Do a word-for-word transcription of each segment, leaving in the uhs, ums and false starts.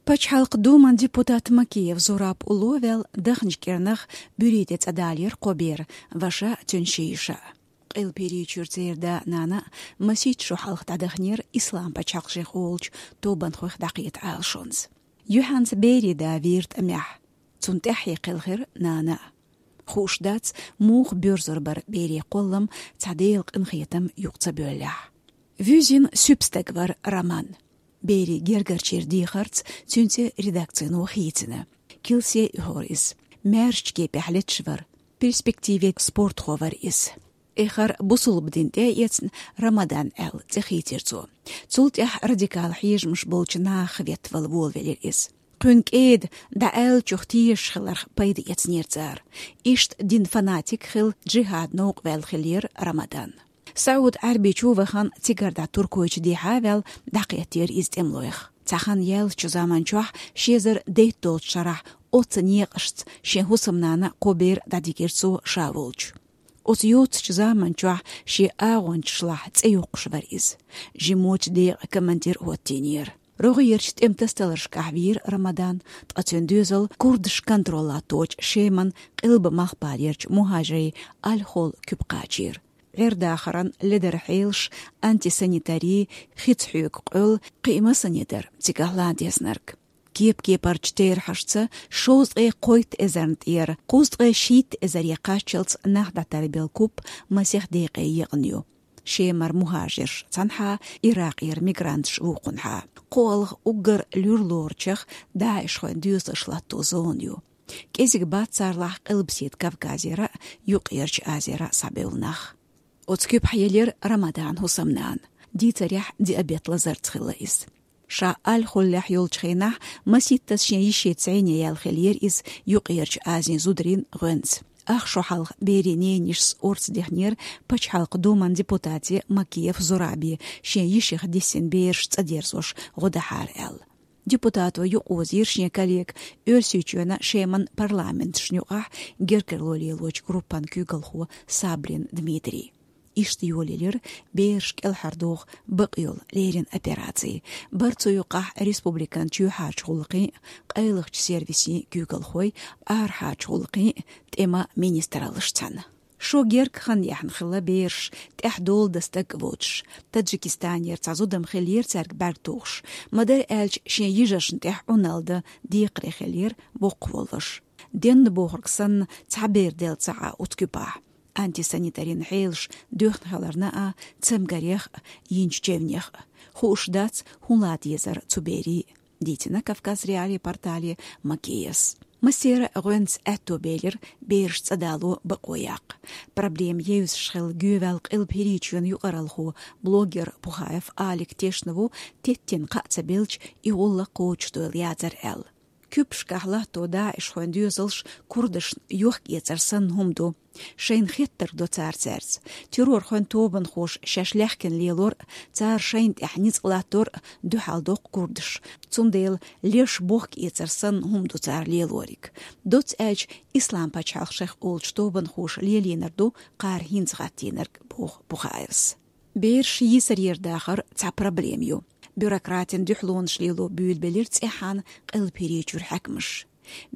Пачхьалкхан Думан депутат Макеев Зураб уллув ваьлла дахначу кӀирнах буьрий тӀе цӀа далийра кхо бер, ваша а, цуьнан ши йиша а. Къилба ХӀирийчуьра церан да-нана а масийтта шо хьалха дӀадаханера Ислам-пачхьалкх шех олучу тобанхойх дӀакхета Ӏалашонца. Юьхьанца берийн да вийра тӀамехь. Цунна тӀаьххье кхелхира нана а. Хууш дац, муха боьрзур бара берийн кхоллам цхьа Делан къинхетам юкъа ца бевллехь. Вуьззина суьпа стаг вара Роман. Берийн гергарчийн дехарца цуьнан цӀе редакцино хийцина. Килсе оьхура иза. Маьршачу кепехь леташ вара. Перспективе спортхо вара иза. Эххар бусулба дин тӀе а эцна, Рамадан аьлла цӀе хийцира цо. Цул тӀаьхьа радикал хьежамаш болчу нахах веттавала волавелира иза. Кхуьнан кӀеда дӀааьллачух тешаш хиларх пайда эцнера цара. Иштта дин фанатик хилла, джихӀад новкъа ваьлла хиллера Рамадан. СаӀуд-Ӏаьрбийчу вахана, цигара дӀа Туркойчу дехьа а ваьлла, дӀакхеттера иза тӀемалойх. Цхьа хан яьллачу заман чохь, ши эзар дейтта долчу шарахь, оццу некъашца шен хӀусамнана кхо бер дӀадигира цо ша волчу. Оцу йоццачу заман чохь шен агӀончашлахь цӀе йоккхуш вара иза. Жимочу декъан командир а хӀоттийнера. РогӀерчу тӀеман тасадаларшкахь вийра Рамадан, ткъа цуьнан доьзал курдаш контроль латточу Шеман къилба-малхбалерчу мухӀажирийн Аль-Хол куьпа кхачийра. ГӀер-дахаран ледара хьелаш, антисанитари, хица хьоьгу къоьлла, кхин а массане дара цигахь лан дезнарг. Кеп-кепарчу терахьашца, шовзткъе кхойтта эзарна тӀера кхузткъе шийтта эзаре кхаччалц нах дӀатарбелла куп масех декъе екъна ю. Шемара мухӀажирш цхьанхьа, Иракъера мигранташ вукхунхьа. КхоалгӀа уггар луьра лоручех ДАИШхойн доьзалш латто зона ю. КӀезиг бац царлахь Къилбаседа Кавказера а, Юккъерчу Азера а схьабевлла нах. Оцу куьпахь елира Рамадан хӀусамнана. Дийцарехь, диабет лазарца хилла иза. Ша Аль-Холлехь йолчу хенахь масийттаза шен йишица зӀене яьлла хиллера иза Юккъерчу Азин зударийн гӀоьнца. Ах шо хьалха берийн ненайишас орца дехнера Пачхьалкхан Думан депутате Макеев Зурабе шен йишех диссина бераш цӀа дерзош гӀо дахьара аьлла. Депутато юкъаозийра шен коллега Оьрсийчоьнан, Шеман парламенташна юкъахь гергарло лелочу группан куьйгалхо Саблин Дмитрий. Иштта йолаелира бераш кӀелхьардоху бакъ йолу леррина операци. Бара цу юкъахь республикан чоьхьарчу гӀуллакхийн а, къайлахчу сервисийн куьйгалхой, арахьарчу гӀуллакхийн а, тӀеман министраллаш цхьаьна. Шо герга хан яьхна хилла бераш, тӀаьхьа дола дан стаг а воцуш. Таджикистанера цхьа зудам хиллера цаьрга бӀаьрг тухуш. Ма-дарра аьлча, шен йижаршна тӀехь Ӏуналла дан декхаре хиллера боккха воллуш. Денна бохург санна, цхьа бер делла ца Ӏа оцу куьпахь. Антисанитарин хьелаш доьхна хиларна а, цамгарех а, йинчу чевнех а. Хууш дац, хӀун лан дезара цу берийн, дийцина Кавказ.Реалии портале Макеевс. Массеран а гӀоьнца аьтто белира бераш цӀа дало бакъо яккха. Проблема евзаш хилла гӀеваьлла Къилба ХӀирийчоьнан юкъаралхо, блогер Пухаев Алик тешна ву, теттина кхаъ ца белча, и гӀуллакх кхочушдойла яцара аьлла. Куьпашкахь латто ДАИШхойн доьзалш курдашна йохк-эцар санна хӀума ду. Шайна хеттарг до цара цаьрца. Террорхойн тобанхоша шаьш лаьхкина лелор а, цара шайна тӀехь ницкъ латтор а дуьхьал доккху курдаш. Цундела леш бохк-эцар санна хӀума ду цара лелориг. Доцца аьлча, Ислам-пачхьалкх шех олучу тобанхоша лелийнарг ду кхара хӀинца хӀоттийнарг, боху Пухаевс. Бераш йийсарера дахар цхьа проблема ю. Бюрократийн дуьхьалонаш лело буьйлабелира цӀеххьана Къилба ХӀирийчуьра хьаькамаш.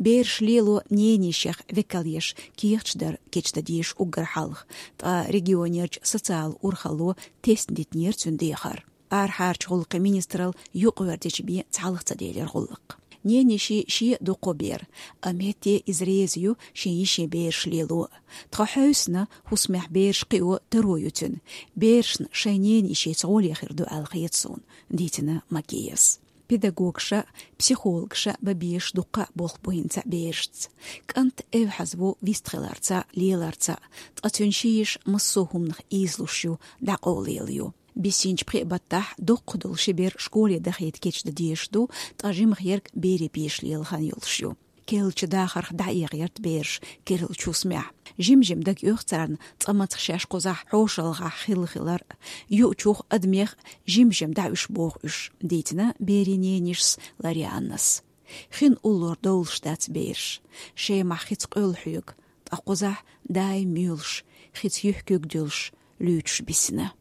Бераш лело ненайишех векалъеш кехаташ дар кечдан дезаш уггар хьалха, ткъа регионерчу социалан урхалло тесна дитинера цуьнан дехар. Арахьарчу гӀуллакхийн министралла юкъавердича бен цхьалха ца делира гӀуллакх. Ненайишин шен а ду кхо бер, амма хӀетте иза реза ю шен йишин бераш лело. Тхан хьевсина, хӀусамехь бераш кхио таро ю цуьнан. Берашна шайн ненайишица гӀоле хир ду аьлла хета суна, дийцина Макеевс. Педагогша а, психологша а бан безаш дуккха а болх бу хӀинца берашца. КӀант эвхьаза ву вистхиларца а, леларца а, ткъа цуьнан ши йиша массо а хӀуманах ийзалуш ю, дӀакъовлаелла ю. Биссинчу пхеа баттахь доккха долу ши бер школе дахийта кечдан дезаш ду, ткъа жимах ерг берийн пеша лела хан йолуш ю. Керлачу дахарх дӀаэгӀерта бераш керлачу хӀусамехь. Жим-жима дагайоьху царна цкъа мацах шаьш кхузахь хьошалгӀахь хилла хилар а, юучух, адамех а жим-жима дӀа уьш боху уьш, дийцина берийн ненайишас Ларианнас. Хин уллор довлуш дац бераш. Шемахь хица къоьлла хьоьгу, ткъа кхузахь даим муьйлуш, хица юьхь куьг дуьллуш, луьйчуш бисина.